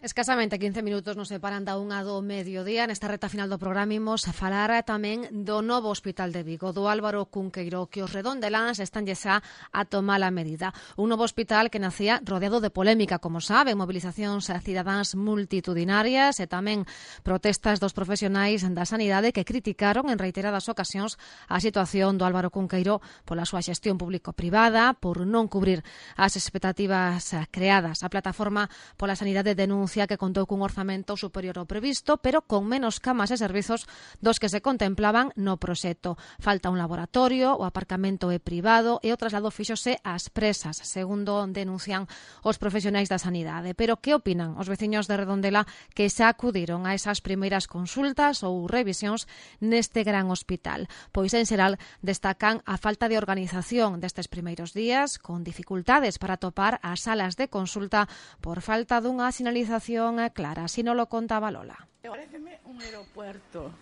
Escasamente 15 minutos nos separan da 1 do mediodía. Nesta reta final do programa imos a falar tamén do novo hospital de Vigo, do Álvaro Cunqueiro, que os redondeláns están xa a tomar a medida. Un novo hospital que nacía rodeado de polémica, como sabe, mobilizacións cidadáns multitudinarias e tamén protestas dos profesionais da sanidade que criticaron en reiteradas ocasións a situación do Álvaro Cunqueiro pola súa xestión público-privada, por non cubrir as expectativas creadas. A plataforma pola sanidade denuncia que contou cun orzamento superior ao previsto, pero con menos camas e servizos dos que se contemplaban no proxecto. Falta un laboratorio, o aparcamento é privado e o traslado fíxose ás presas, segundo denuncian os profesionais da sanidade. Pero que opinan os veciños de Redondela que xa acudiron a esas primeiras consultas ou revisións neste gran hospital? Pois en xeral destacan a falta de organización destes primeiros días, con dificultades para topar as salas de consulta por falta dunha sinalización clara. Así non lo contaba Lola. Pareceme un aeropuerto.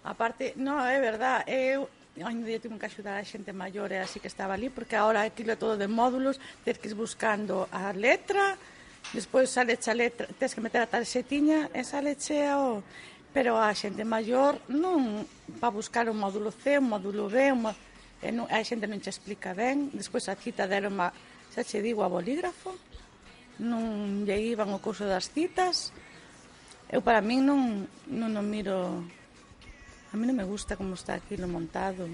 Aparte, no, é verdad, eu ainda día tive que axudar a xente maior e así que estaba ali, porque agora aquilo é todo de módulos, tens que ir buscando a letra, despois saleche a letra, tens que meter a tarxetiña e saleche o... Pero a xente maior non va buscar o módulo C, o módulo B, a xente non che explica ben, despois a cita deron, xa che digo, a bolígrafo, non lle iban o couso das citas. Eu para min non miro, a mí non me gusta como está aquilo montado.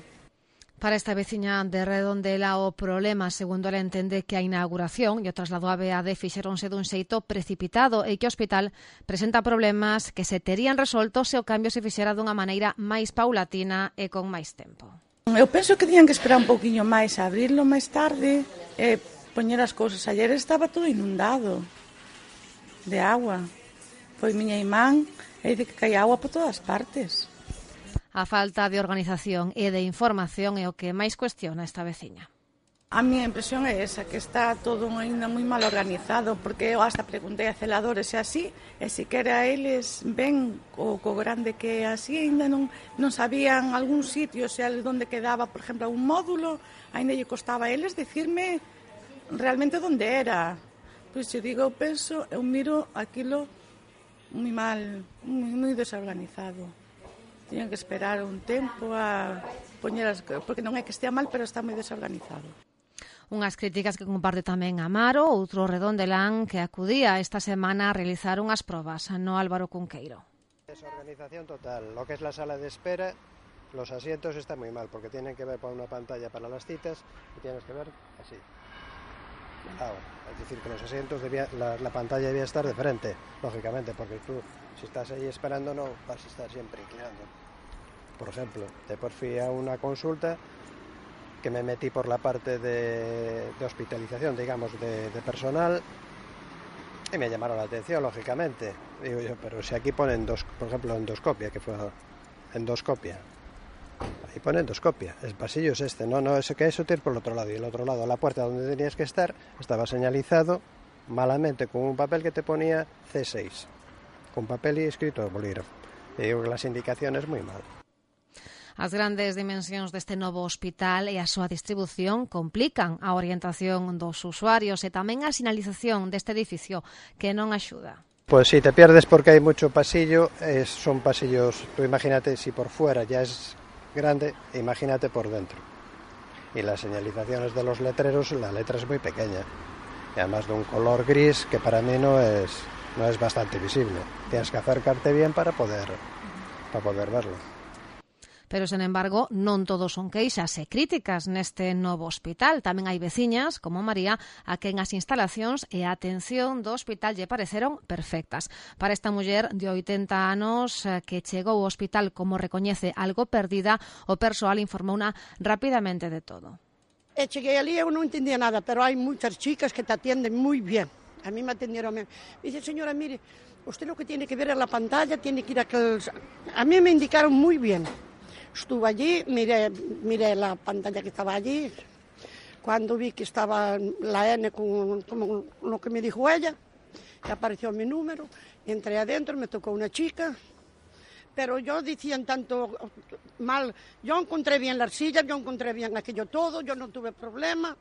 Para esta veciña de Redondela o problema, segundo ela, entende que a inauguración e o traslado a BAD fixeronse dun xeito precipitado e que o hospital presenta problemas que se terían resolto se o cambio se fixera dunha maneira máis paulatina e con máis tempo. Eu penso que tiñan que esperar un pouquiño máis a abrirlo máis tarde e poñer as cousas. Ayer estaba todo inundado de agua. Foi miña irmán e dice que caía agua por todas partes. A falta de organización e de información é o que máis cuestiona esta veciña. A miña impresión é esa, que está todo ainda moi mal organizado, porque eu hasta preguntei a celadores e así, e siquera eles ven co grande que así, ainda non sabían algún sitio, se onde quedaba, por exemplo, un módulo, ainda lle costaba a eles dicirme realmente onde era. Pois eu digo, eu miro aquilo moi mal, moi desorganizado. Tiñan que esperar un tempo a poñer as... porque non é que estea mal, pero está moi desorganizado. Unhas críticas que comparte tamén Amaro, outro redondelán que acudía esta semana a realizar unhas probas no Álvaro Cunqueiro. Desorganización total. Lo que es la sala de espera, los asientos están muy mal porque tienen que ver por una pantalla para las citas y tienes que ver así. Ahora, es decir, que los asientos la pantalla debía estar de frente, lógicamente, porque tú, si estás ahí esperando, no vas a estar siempre inclinando. Por ejemplo, después fui a una consulta que me metí por la parte de hospitalización, digamos, de personal, y me llamaron la atención, lógicamente. Digo yo, pero si aquí ponen por ejemplo, endoscopia, que fue endoscopia. Ahí pone endoscopia, el pasillo es este, no, es que eso tienes por el otro lado, y el otro lado, la puerta donde tenías que estar, estaba señalizado malamente con un papel que te ponía C6, con papel y escrito de bolígrafo. Y digo que las indicaciones muy mal. As grandes dimensións deste novo hospital e a súa distribución complican a orientación dos usuarios e tamén a sinalización deste edificio, que non axuda. Pues si te pierdes porque hay mucho pasillo, son pasillos, tú imagínate si por fuera ya es grande, imagínate por dentro. Y las señalizaciones de los letreros, la letra es muy pequeña, y además de un color gris que para mí no es bastante visible. Tienes que acercarte bien para poder verlo. Pero, sen embargo, non todos son queixas e críticas neste novo hospital. Tamén hai veciñas, como María, a quen as instalacións e a atención do hospital lle pareceron perfectas. Para esta muller de 80 anos que chegou ao hospital como recoñece algo perdida, o persoal informouna rapidamente de todo. Cheguei ali e eu non entendía nada, pero hai moitas chicas que te atienden moi bien. A mí me atendieron bien. Dice, señora, mire, usted lo que tiene que ver es la pantalla, tiene que ir a aquellos... A mí me indicaron muy bien. Estuve allí, miré la pantalla que estaba allí. Cuando vi que estaba la N con lo que me dijo ella, que apareció mi número, entré adentro, me tocó una chica, pero yo decían tanto mal, yo encontré bien las sillas, yo encontré bien aquello todo, yo no tuve problema,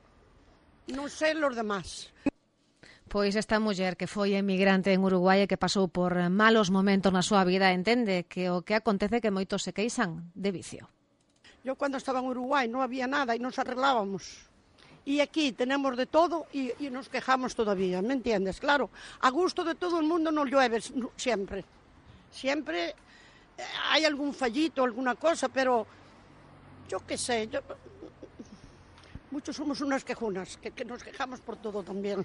no sé los demás. Pois esta muller que foi emigrante en Uruguai e que pasou por malos momentos na súa vida entende que o que acontece que moitos se queixan de vicio. Yo cuando estaba en Uruguai no había nada y nos arreglábamos. Y aquí tenemos de todo y nos quejamos todavía, ¿me entiendes? Claro, a gusto de todo el mundo no llueve siempre. Siempre hay algún fallito, alguna cosa, pero yo qué sé, muchos somos unas quejunas, que nos quejamos por todo también.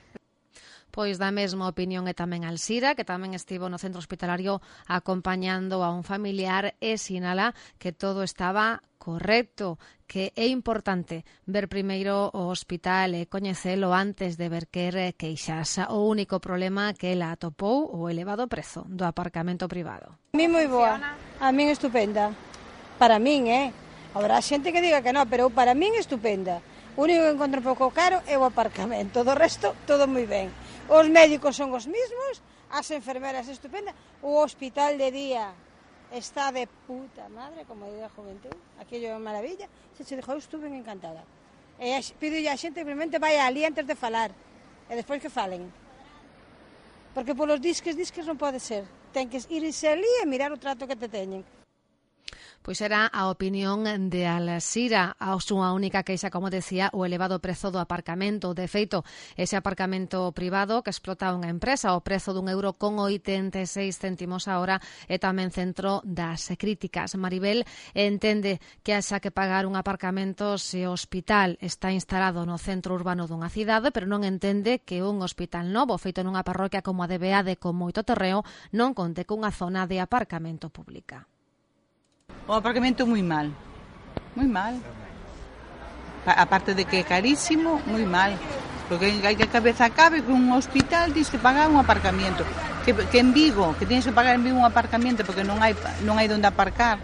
Pois da mesma opinión é tamén Alsira, que tamén estivo no centro hospitalario acompañando a un familiar e sinala que todo estaba correcto, que é importante ver primeiro o hospital e coñecelo antes de ver que queixas. O único problema que ela atopou o elevado prezo do aparcamento privado. A mí moi boa, a min estupenda. Para min, habrá xente que diga que non, pero para min estupenda. O único que encontro un pouco caro é o aparcamento, do resto todo moi ben. Os médicos son os mismos, as enfermeras estupendas, o hospital de día está de puta madre, como diría a juventud, aquello é maravilla. Se dixo, eu estuve encantada. E pido a xente que simplemente vai ali antes de falar, e despois que falen. Porque polos disques non pode ser. Ten que irse ali e mirar o trato que te teñen. Pois era a opinión de Alsira. A súa única queixa, como decía, o elevado prezo do aparcamento. De feito, ese aparcamento privado que explota unha empresa, o prezo d€1,86 a hora, é tamén centro das críticas. Maribel entende que haxa que pagar un aparcamento se o hospital está instalado no centro urbano dunha cidade, pero non entende que un hospital novo feito nunha parroquia como a de Beade con moito terreo non conte cunha zona de aparcamento pública. O aparcamento moi mal, moi mal. Aparte de que é carísimo, moi mal. Porque hai que a cabeza cabe que un hospital tens que pagar un aparcamiento. Que en Vigo, que tienes que pagar en Vigo un aparcamiento porque non hai onde aparcar.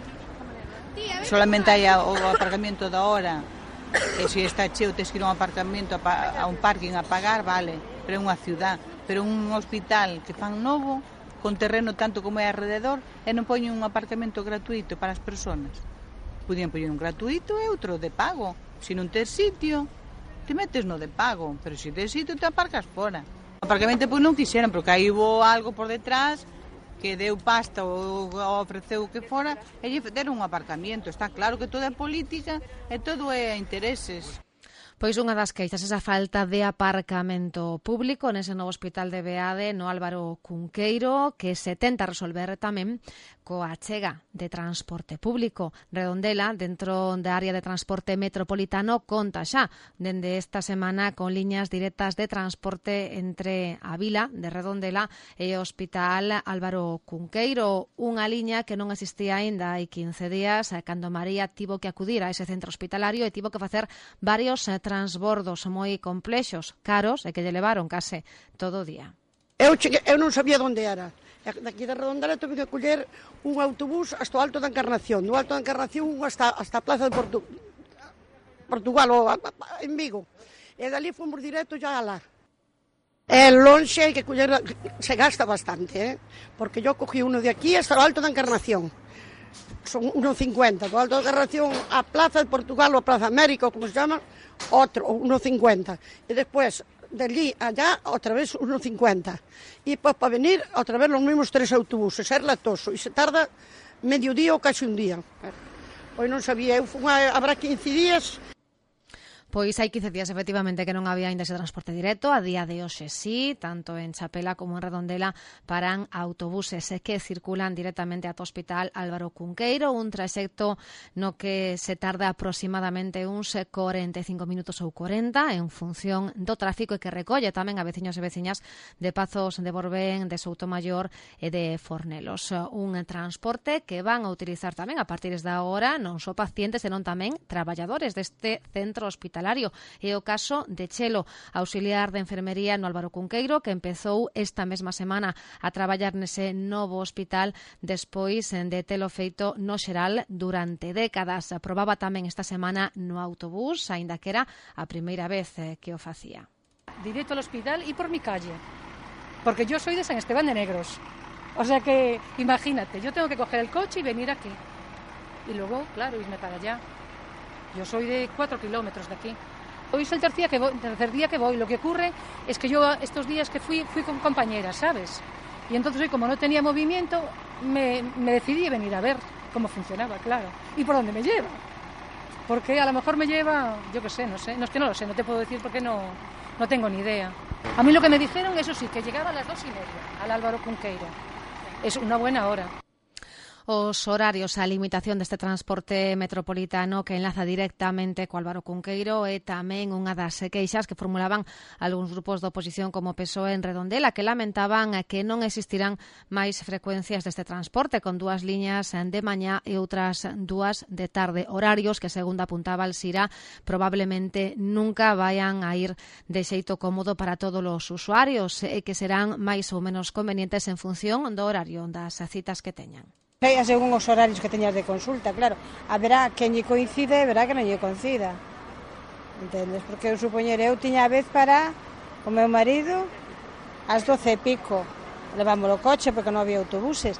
Solamente hai o aparcamiento da hora. E se está cheo tens que ir a un aparcamento, a un parking a pagar, vale. Pero é unha ciudad. Pero un hospital que fan novo, con terreno tanto como é alrededor, e non poñen un aparcamento gratuito para as persoas. Podían poñer un gratuito e outro de pago. Se non tes sitio, te metes no de pago, pero se tes sitio te aparcas fora. O aparcamento pois non quixeron, porque aí hubo algo por detrás que deu pasta ou ofreceu que fora, e lle deron un aparcamiento. Está claro que todo é política e todo é intereses. Pois unha das queixas, esa falta de aparcamento público nese novo hospital de Beade, no Álvaro Cunqueiro, que se tenta resolver tamén coa achega de transporte público. Redondela, dentro da área de transporte metropolitano, conta xa dende esta semana con liñas directas de transporte entre a vila de Redondela e o Hospital Álvaro Cunqueiro, unha liña que non existía aínda hai 15 días, cando María tivo que acudir a ese centro hospitalario e tivo que facer varios transbordos moi complexos, caros, e que lle levaron case todo o día. Eu non sabía onde era. Daqui de Redondela tuve que coller un autobús hasta o Alto da Encarnación. Do Alto da Encarnación hasta a Plaza de Portugal, en Vigo. E dali fomos directo ya a lá. É lonxe, hai que coller, se gasta bastante, porque yo cogí uno de aquí hasta o Alto da Encarnación. Son 1,50. Do Alto da Encarnación a Plaza de Portugal ou a Plaza América, como se llama, otro, 1,50. E despois, de allí allá, outra vez 1,50. E pois para venir, outra vez los mismos 3 autobuses. É latoso. E se tarda medio día ou casi un día. Pois non sabía, eu fui habrá 15 días. Pois hai 15 días, efectivamente, que non había ainda ese transporte directo. A día de hoxe sí, tanto en Chapela como en Redondela paran autobuses que circulan directamente ata o Hospital Álvaro Cunqueiro, un traxecto no que se tarda aproximadamente uns 45 minutos ou 40 en función do tráfico e que recolle tamén a veciños e veciñas de Pazos de Borbén, de Soutomaior e de Fornelos. Un transporte que van a utilizar tamén a partir da hora non só pacientes, senón tamén traballadores deste centro hospitalario. É o caso de Chelo, auxiliar de enfermería no Álvaro Cunqueiro, que empezou esta mesma semana a traballar nese novo hospital despois de telo feito no xeral durante décadas. Probaba tamén esta semana no autobús, aínda que era a primeira vez que o facía. Directo al hospital y por mi calle, porque yo soy de San Esteban de Negros. O sea que, imagínate, yo tengo que coger el coche y venir aquí. Y luego, claro, irme para allá. Yo soy de 4 kilómetros de aquí. Hoy es el tercer día que voy. Lo que ocurre es que yo estos días que fui con compañeras, ¿sabes? Y entonces hoy, como no tenía movimiento, me decidí venir a ver cómo funcionaba, claro. ¿Y por dónde me lleva? Porque a lo mejor me lleva, yo qué sé, no sé. No es que no lo sé, no te puedo decir porque no tengo ni idea. A mí lo que me dijeron, eso sí, que llegaba a las 2:30 al Álvaro Cunqueiro. Es una buena hora. Os horarios, a limitación deste transporte metropolitano que enlaza directamente co Álvaro Cunqueiro é tamén unha das queixas que formulaban algúns grupos de oposición como PSOE en Redondela, que lamentaban que non existirán máis frecuencias deste transporte, con 2 liñas de mañá e outras 2 de tarde, horarios que, segundo apuntaba Alsira, probablemente nunca vayan a ir de xeito cómodo para todos os usuarios e que serán máis ou menos convenientes en función do horario das citas que teñan. Según os horarios que teñas de consulta, claro. Haberá quen lle coincide e verá que non lle coincida. Entendes? Porque eu supoñer, eu tiña a vez para o meu marido ás 12:00 Levamos o coche porque non había autobuses.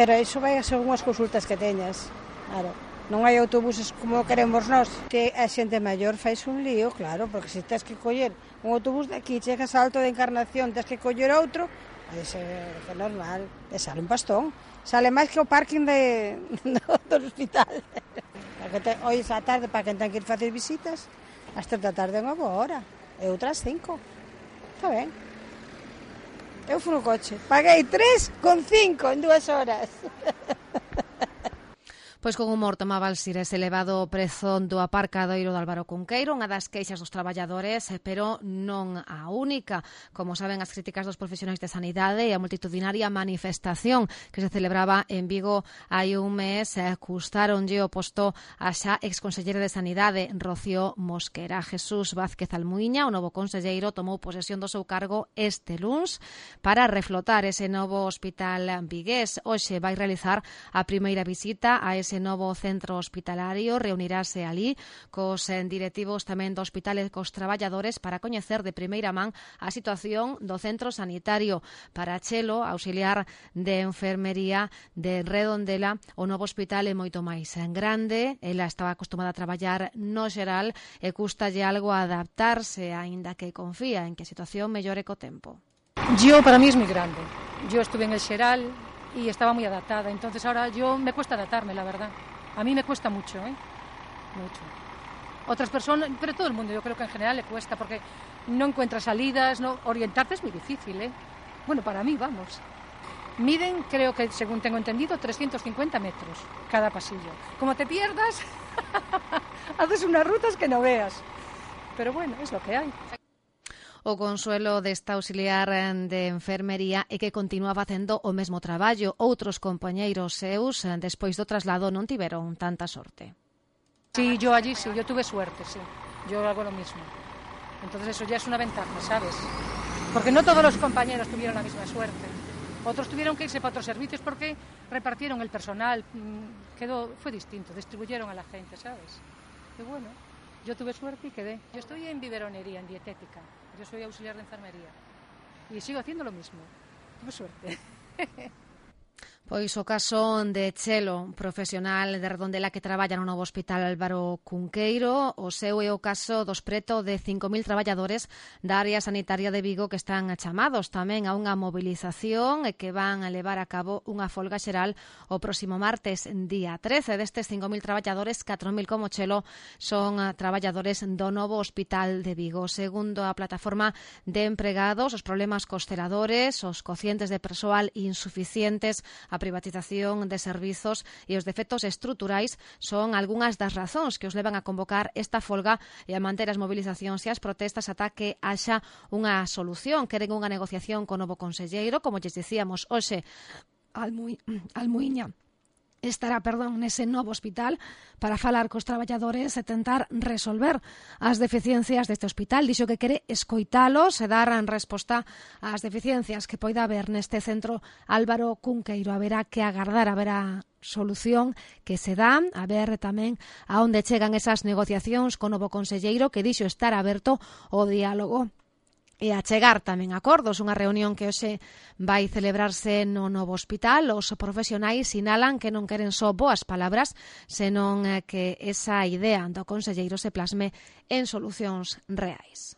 Pero iso vai según as consultas que teñas. Claro. Non hai autobuses como queremos nós. Que a xente maior fais un lío, claro, porque se tens que coller un autobús de aquí, chegas ao Alto de Encarnación, tens que coller outro, é normal, e sale un pastón. Sale máis que o parking do hospital. Hoy esa tarde, para quen ten que ir facer visitas, ás 3 da tarde é unha boa hora, e outras 5. Está ben. Eu fui no coche, paguei 3,5 en 2 horas. Pois con humor tomaba Alsira ese elevado prezo do aparcadoiro do Álvaro Cunqueiro, unha das queixas dos traballadores, pero non a única. Como saben, as críticas dos profesionais de sanidade e a multitudinaria manifestación que se celebraba en Vigo hai un mes custaronlle o posto a xa exconselleira de Sanidade, Rocío Mosquera. Jesús Vázquez Almuíña, o novo conselleiro, tomou posesión do seu cargo este luns para reflotar ese novo hospital vigués. Hoxe vai realizar a primeira visita a ese novo centro hospitalario, reunirase ali cos directivos tamén do hospital e cos traballadores para coñecer de primeira man a situación do centro sanitario. Para Chelo, auxiliar de enfermería de Redondela, o novo hospital é moito máis grande, ela estaba acostumada a traballar no xeral e custalle algo a adaptarse, aínda que confía en que a situación mellore co tempo. Yo, para mí, es muy grande. Yo estuve en el xeral y estaba muy adaptada, entonces ahora me cuesta adaptarme, la verdad. A mí me cuesta mucho, mucho. Otras personas, pero todo el mundo, yo creo que en general le cuesta, porque no encuentras salidas, orientarte es muy difícil, Bueno, para mí, vamos. Miden, creo que, según tengo entendido, 350 metros cada pasillo. Como te pierdas, haces unas rutas que no veas. Pero bueno, es lo que hay. O consuelo desta auxiliar de enfermería é que continúa facendo o mesmo traballo. Outros compañeiros seus, despois do traslado, non tiveron tanta sorte. Sí, yo allí sí, yo tuve suerte, sí. Yo hago lo mismo. Entonces eso ya es una ventaja, ¿sabes? Porque no todos los compañeros tuvieron la misma suerte. Otros tuvieron que irse para otros servicios porque repartieron el personal. Fue distinto, distribuyeron a la gente, ¿sabes? Y bueno, yo tuve suerte y quedé. Yo estoy en biberonería, en dietética. Yo soy auxiliar de enfermería y sigo haciendo lo mismo. Tuve suerte. Pois o caso de Chelo, profesional de Redondela que traballa no novo hospital Álvaro Cunqueiro, o seu é o caso dos preto de 5.000 traballadores da área sanitaria de Vigo que están chamados tamén a unha mobilización e que van a levar a cabo unha folga xeral o próximo martes, día 13. Destes 5.000 traballadores, 4.000 como Chelo son traballadores do novo hospital de Vigo. Segundo a plataforma de empregados, os problemas cos celadores, os cocientes de persoal insuficientes, a privatización de servizos e os defectos estruturais son algunhas das razóns que os levan a convocar esta folga e a manter as movilizacións e as protestas ata que haxa unha solución. Queren unha negociación co novo conselleiro, como lles dicíamos hoxe, Almuíña estará, nese novo hospital para falar cos traballadores e tentar resolver as deficiencias deste hospital. Dixo que quere escoitalos e dar resposta ás deficiencias que poida haber neste centro Álvaro Cunqueiro. Haberá que agardar a ver a solución que se dá, a ver tamén a onde chegan esas negociacións co novo conselleiro que dixo estar aberto ao diálogo. e a chegar tamén acordos. Unha reunión que hoxe vai celebrarse no novo hospital. Os profesionais sinalan que non queren só boas palabras, senón que esa idea do conselleiro se plasme en solucións reais.